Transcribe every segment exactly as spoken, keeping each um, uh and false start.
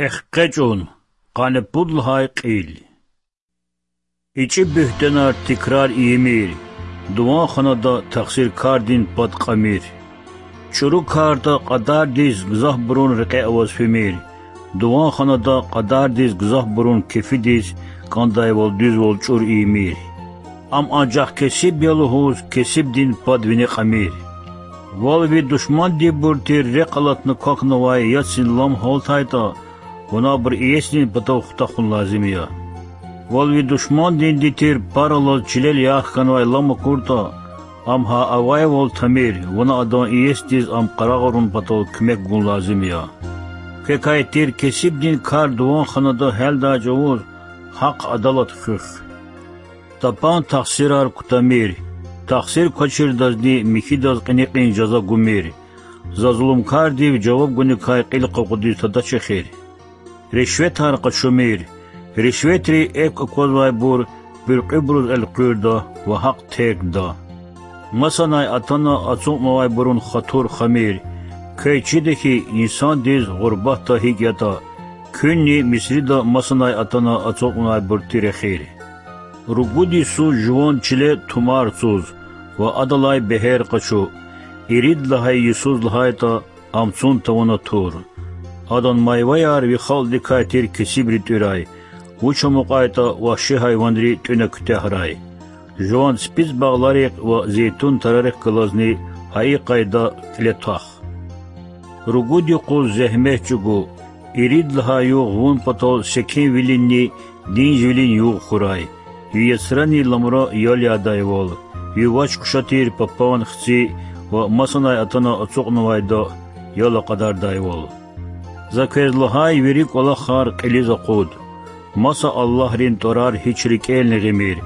Экъечӏун. Къанни пуд лагьай кьил. ИчӀи буьгьтенар тикрар ийимир, дуван ханада тахсиркардин пад кьамир. ЧӀуру кардал кьадардиз гзафбурун рекье аваз фимир, дуван ханада кьадардиз гзафбурун кефидиз кӀандайвал дуьзвал чӀур ийимир. Ам анжах кесиб я лугьуз кесибдин пад вине кьамир. Вал ви душмандинбур тир рехъ алатна квахьнавай яцин лам гьалтайтӀа, вуна абур иесидин патав хутахун лазим я. Вал ви душмандинди тир пар алаз чилел ярх хьанвай лам акуртӀа, ам гьа авайвал тамир, вуна адан иесидиз ам къарагъарун патал куьмек гун лазим я. Квекай тир кесибдин кар дуван ханада гьялдай чӀавуз гьахъ адалат хуьх. Тапан тахсирар кутамир, тахсир квачирдазни михьидаз кьиникьин жаза гумир. За зулумкардив жаваб гуникай кьил къакъудиз тадач эхир. Ришветар къачумир, ришветри экв аквазвайбур буьркьуьбуруз элкъуьрда ва гьахъ тергда. Масанай атана ацукьнавайбурун хатур хамир, квез чида хьи, инсандиз гъурбатда гьикӀ ятӀа, куьнни Мисрида масанай атана ацукьнавайбур тир эхир. Ругуд йисуз жуван чиле тумар цуз ва адалай бегьер къачу. Ирид лагьай йисуз лагьайтӀа, ам цун тавуна тур. Адан майваяр ви халкьдикай тир кесибри тӀуьрай, вуч амукьайтӀа вагьши гьайванри тӀуьна куьтягьрай. Жуван ципицӀ багъларихъ ва зейтун тарарихъ галазни гьа и къайда кьиле твах. Ругуд юкъуз зегьмет чӀугу, ирид лагьай югъ вун патал секинвилинни динжвилин югъ хьурай. Ви яцрани ламра ял ядайвал, ви вач-къуша тир папан, хци ва масанай атана ацукьнавайда ял акьадардайвал. За квез лагьай вири кӀвалахар кьилиз акъуд. Маса аллагьрин тӀварар гьич рикӀелни гъимир,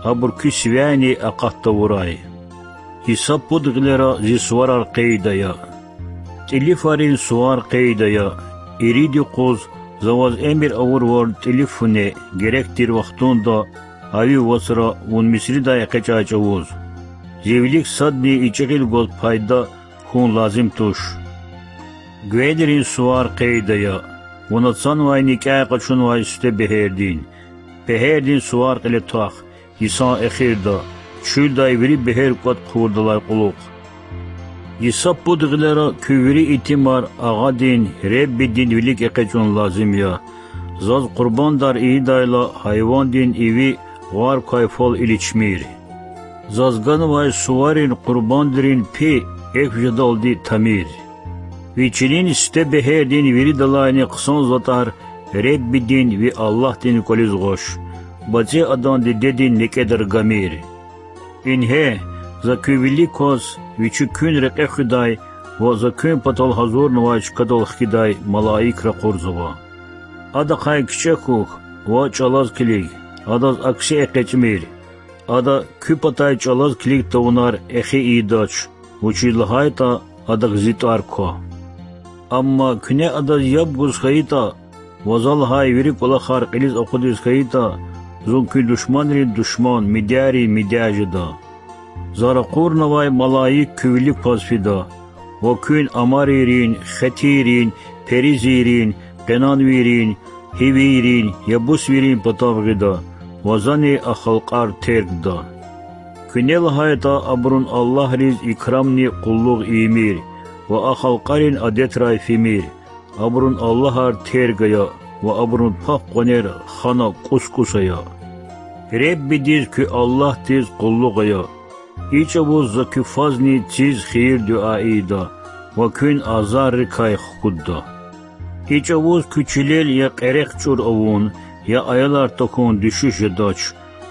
абур куь сивяйни акъат тавурай. Йиса пуд гъилера зи суварар къейд ая. ТӀилифарин сувар къейд ая. Ирид юкъуз за ваз эмир авурвал тӀилиф фу неъ, герек тир вахтунда, а ви вацра вун Мисридай экъечӀай чӀавуз. Зи вилик садни ичӀи гъил гваз пайда хьун лазим туш. Гвейдерин сувар къейд ая. Вун ацанвай никӀяй къачунвай сифте бегьердин. Бегьердин сувар кьиле твах, йисан эхирда, чуьлдай вири бегьер кӀватӀ хъувурдалай кьулухъ. Йиса пуд гъилера куь вири итимар Агъадин, Реббидин вилик экъечӀун лазим я. Заз къурбандар ийидайла гьайвандин иви гъвар квай фал иличмир. Заз ганвай суварин къурбандрин пи экв жедалди тамир. Ви чилин сифте бегьердин виридалайни хъсан затӀар Реббидин, ви Аллагьдин кӀвализ гъваш, бацӀи адан дидедин некӀедра гамир. Ингье, за куь вилик кваз, вичи куьн рекье хуьдай ва за куьн патал гьазурнавай чкадал хкидай малаик ракъурзава. Адахъай кичӀе хьухь ва чӀалаз килиг, адаз акси экъечӀмир. Ада куь патай чӀалаз килиг тавунар эхи ийидач, вучиз лагьайтӀа адак зи тӀвар ква. Амма куьне адаз яб гуз хьайитӀа ва за лагьай вири кӀвалахар кьилиз акъудиз хьайитӀа, зун куь душманрин душман, мидярин мидя жеда. За ракъурнавай малаик куь вилик кваз фида, ва куьн амарийрин, хетийрин, перизийрин, къенанвийрин, гьивийрин, ябусвийрин патав гъида ва зани а халкьар тергда. Куьне лагьайтӀа абурун аллагьриз икрамни къуллугъ ийимир ва а халкьарин адетрай фимир, абурун аллагьар терг ая ва абурун паб къванер хана кӀус-кӀус ая. Реббидиз, куь Аллагьдиз къуллугъ ая. И чӀавуз за куь фазни циз хийир-дуьа ийида ва куьн азаррикай хкудда. И чӀавуз куь чилел я кьерехъ чӀур авун, я аялар тахьун дуьшуьш жедач,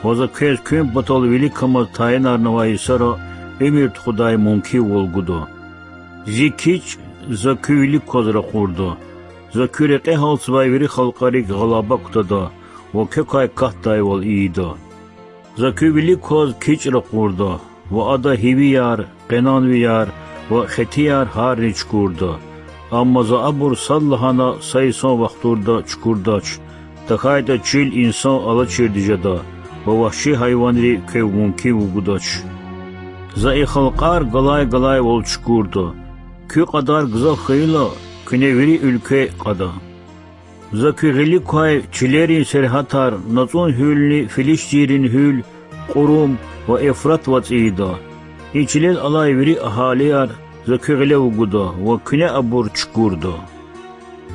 ва за квез куьн патал виликамаз тайинарнавай йисара уьмуьр тухудай мумкинвал гуда. Зи кичӀ за куь вилик кваз ракъурда. За куь рекье гьалцвай вири халкьарик гъалаба кутада ва квекай катдайвал ийида. За куь вилик кваз кичӀ ракъурда, ва ада гьивияр, къенанвияр ва хетияр гьарни чукурда. Амма за абур сад лагьана са йисан вахтунда чукурдач, тахьайтӀа чил инсан алачирди жеда ва вагьши гьайванри квев мумкин вугудач. За и халкьар галай-галайвал чукурда. Куь кьадар гзаф хьайила, куьне вири уьлкве кьада. За куь гъилик квай чилерин сергьятар НацӀун гьуьлни Филиштийрин гьуьл, Кьурум ва Эвфрат вацӀ ийида. И чилел алай вири агьалияр За куь гъиле вугуда ва куьне абур чукурда.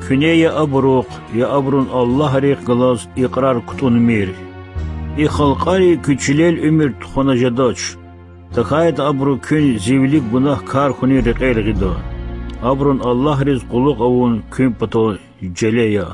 Куьне я абурухъ, я абурун аллагьрихъ галаз икьрар кутӀунмир. И халкьари куь чилел уьмуьр тухвана жедач, тахьайтӀа абуру куьн зи вилик гунагькар хьунин рекьел гъида. Абурун аллагьриз къуллугъ авун куьн патал желе я.